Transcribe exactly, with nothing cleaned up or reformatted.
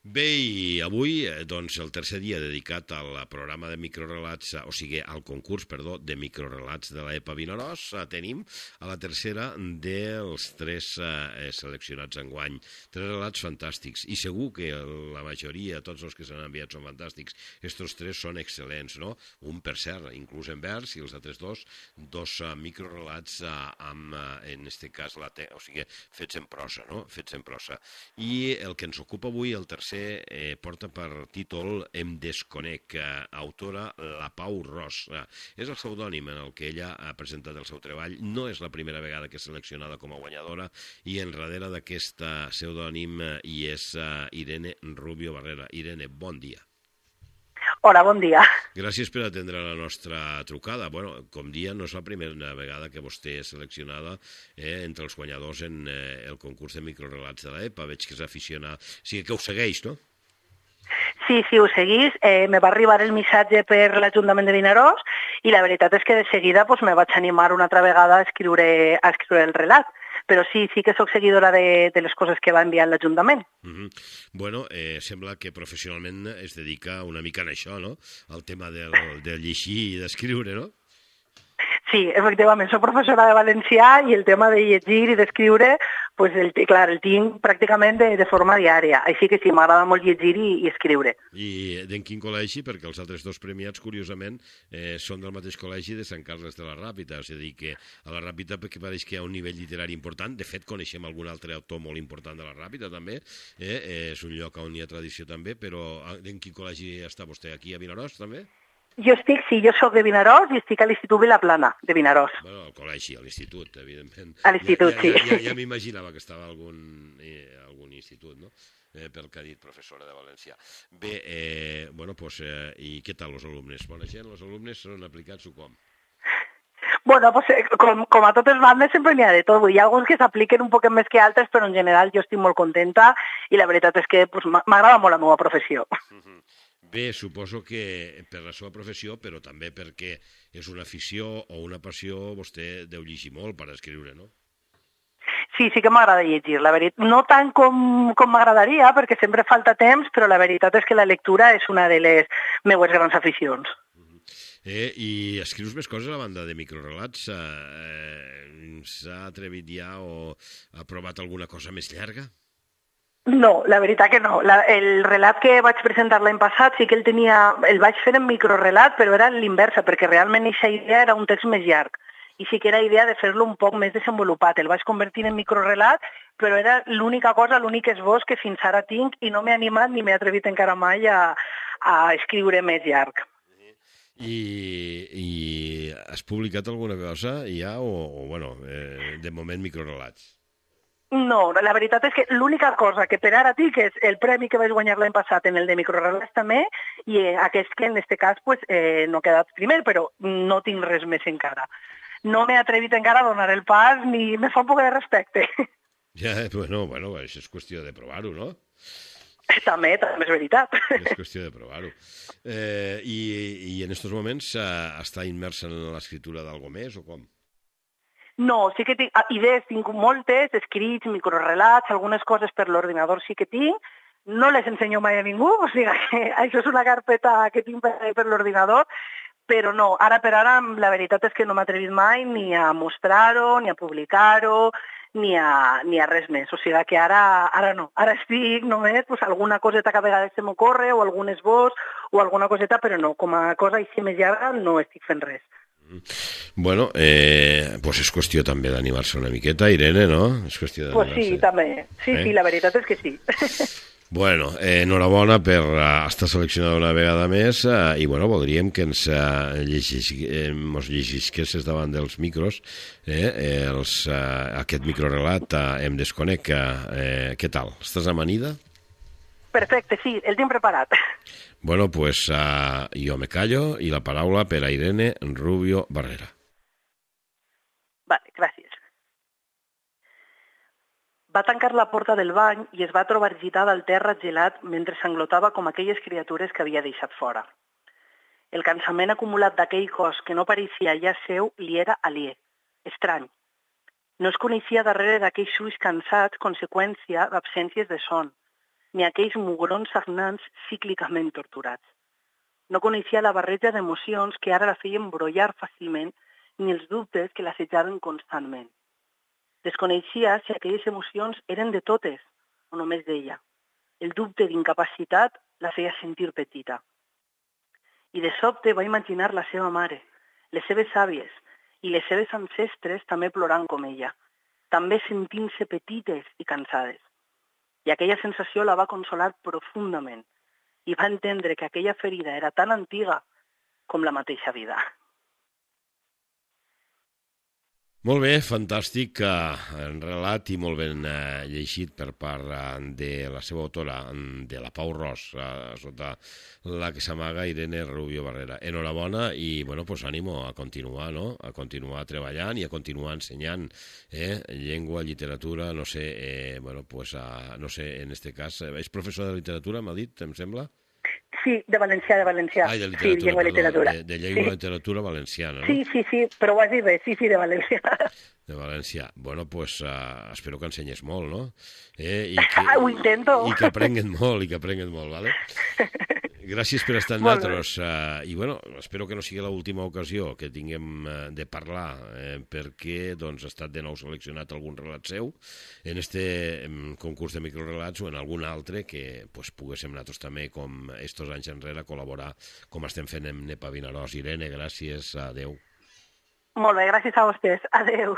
Bé, i avui, doncs, el tercer dia dedicat al programa de microrelats, o sigui, al concurs, perdó, de microrelats de l'E P A Vinaròs, tenim a la tercera dels tres eh, seleccionats enguany. Tres relats fantàstics, i segur que la majoria, tots els que s'han enviat són fantàstics. Estos tres són excel·lents, no? Un, per cert, inclús en vers, i els altres dos, dos uh, microrelats uh, amb, uh, en este cas, la te o sigui, fets en prosa, no? Fets en prosa. I el que ens ocupa avui, el tercer, Eh, porta per títol Em desconec, eh, autora La Pau Ros. Eh, és el pseudònim en el que ella ha presentat el seu treball. No és la primera vegada que és seleccionada com a guanyadora, i enrere d'aquest pseudònim eh, hi és eh, Irene Rubio Barrera. Irene, bon dia. Hola, bon dia. Gràcies per atendre la nostra trucada. Bueno, com dia, no és la primera vegada que vostè és seleccionada eh, entre els guanyadors en eh, el concurs de microrelats de l'E P A. Veig que és aficionada. O sigui que ho segueix, no? Sí, sí, ho seguís. Eh, me va arribar el missatge per l'Ajuntament de Vinaròs i la veritat és que de seguida pues, me vaig animar una altra vegada a escriure, a escriure el relat. Però sí, sí que sóc seguidora de, de les coses que va enviar l'Ajuntament. Uh-huh. Bueno, eh, sembla que professionalment es dedica una mica a això, no? Al tema del, de llegir i d'escriure, no? Sí, efectivament, soc professora de valencià i el tema de llegir i d'escriure, pues el, clar, el tinc pràcticament de, de forma diària. Així que sí, m'agrada molt llegir i, i escriure. I d'en quin col·legi? Perquè els altres dos premiats, curiosament, eh, són del mateix col·legi de Sant Carles de la Ràpita. És a dir, que a la Ràpita perquè pareix que hi ha un nivell literari important. De fet, coneixem algun altre autor molt important de la Ràpita, també. Eh? És un lloc on hi ha tradició, també. Però en quin col·legi està vostè? Aquí a Vinaròs, també? Jo estic, sí, jo sóc de Vinaròs i estic a l'Institut Vilaplana, de Vinaròs. Bueno, al col·legi, a l'institut, evidentment. A l'institut, ja, ja, sí. Ja, ja, ja m'imaginava que estava a algun, eh, algun institut, no? Eh, pel que ha dit professora de valencià. Bé, eh, bueno, pues, eh, i què tal els alumnes? Bona gent, els alumnes són aplicats o com? Bueno, pues, com, com a totes bandes sempre n'hi ha de tot. Hi ha alguns que s'apliquen un poc més que altres, però en general jo estic molt contenta i la veritat és que pues, m'agrada molt la meva professió. Uh-huh. Bé, suposo que per la seva professió, però també perquè és una afició o una passió, vostè deu llegir molt per escriure, no? Sí, sí que m'agrada llegir, la veritat. No tant com, com m'agradaria, perquè sempre falta temps, però la veritat és que la lectura és una de les meues grans aficions. Uh-huh. eh, I escrius més coses a la banda de microrelats? Eh, S'ha atrevit ja o ha provat alguna cosa més llarga? No, la veritat que no. La, el relat que vaig presentar l'any passat sí que el tenia, el vaig fer en microrelat, però era l'inversa, perquè realment aquesta idea era un text més llarg. I sí que era idea de fer-lo un poc més desenvolupat. El vaig convertir en microrelat, però era l'única cosa, l'únic esbós que fins ara tinc i no m'he animat ni m'he atrevit encara mai a, a escriure més llarg. I, i has publicat alguna cosa ja o, o bueno, eh, de moment microrelats? No, la veritat és que l'única cosa que per ara tinc és el premi que vaig guanyar l'any passat en el de microrelats també i aquest que en aquest cas pues, eh, no ha quedat primer, però no tinc res més encara. No m'he atrevit encara a donar el pas ni me fa un poc de respecte. Ja, bueno, bueno, això és qüestió de provar-ho, no? També, també és veritat. És qüestió de provar-ho. Eh, i, I en aquests moments eh, està immersa en l'escriptura d'algo més o com? No, sí que tinc idees, tinc moltes, escrits, microrelats, algunes coses per l'ordinador sí que tinc, no les ensenyo mai a ningú, o sigui que això és una carpeta que tinc per, per l'ordinador, però no, ara per ara la veritat és que no m'he atrevit mai ni a mostrar-ho, ni a publicar-ho, ni a, ni a res més, o sigui que ara, ara no, ara estic només pues, alguna coseta que a vegades se m'ocorre o algun esbós o alguna coseta, però no, com a cosa així més llarga no estic fent res. Bueno, eh, pues és qüestió també d'animar-se una miqueta, Irene, no? És qüestió pues sí, també. Sí, eh? Sí, la veritat és que sí. Bueno, eh, enhorabona per uh, estar seleccionada una vegada més uh, i bueno, voldríem que ens uh, llegis, eh, mos llegisquessis davant dels micros eh, eh, els, uh, aquest microrelat uh, Em desconec. Uh, què tal? Estàs amanida? Perfecte, sí, el tinc preparat. Bueno, pues uh, jo me callo i la paraula per a Irene Rubio Barrera. Vale, gràcies. Va tancar la porta del bany i es va trobar gitada al terra gelat mentre s'englotava com aquelles criatures que havia deixat fora. El cansament acumulat d'aquell cos que no pareixia ja seu li era aliè, estrany. No es coneixia darrere d'aquells ulls cansats conseqüència d'absències de son, ni aquells mugrons sagnants cíclicament torturats. No coneixia la barreja d'emocions que ara la feien brollar fàcilment ni els dubtes que l'assetjaven constantment. Desconeixia si aquelles emocions eren de totes o només d'ella. El dubte d'incapacitat la feia sentir petita. I de sobte va imaginar la seva mare, les seves àvies i les seves ancestres també plorant com ella, també sentint-se petites i cansades. I aquella sensació la va consolar profundament i va entendre que aquella ferida era tan antiga com la mateixa vida. Molt bé, fantàstic eh, relat i molt ben eh, llegit per part eh, de la seva autora, de la Pau Ros, eh, sota la que s'amaga Irene Rubio Barrera. Enhorabona i, bueno, pues ànimo a continuar, no?, a continuar treballant i a continuar ensenyant eh? llengua, literatura, no sé, eh, bueno, pues, a, no sé, en este cas, eh, és professor de literatura, m'ha dit, em sembla? Sí, de valencià, de valencià. Ai, de literatura, sí, llengua perdó, literatura. De, de llengua sí. i literatura valenciana, no? Sí, sí, sí, però ho has dit bé, sí, sí, de valencià. De valencià. Bueno, pues uh, espero que ensenyes molt, no? Eh? I que, ho intento. I que aprenguen molt, i que aprenguen molt, ¿vale? Gràcies per estar amb nosaltres. Uh, I, bueno, espero que no sigui l'última ocasió que tinguem uh, de parlar, eh, perquè doncs, ha estat de nou seleccionat algun relat seu en este um, concurs de microrelats o en algun altre que pues, poguéssim nosaltres també, com estos anys enrere, col·laborar com estem fent amb N E P A Vinaròs. Irene, gràcies. Adéu. Molt bé, gràcies a vostès. Adéu.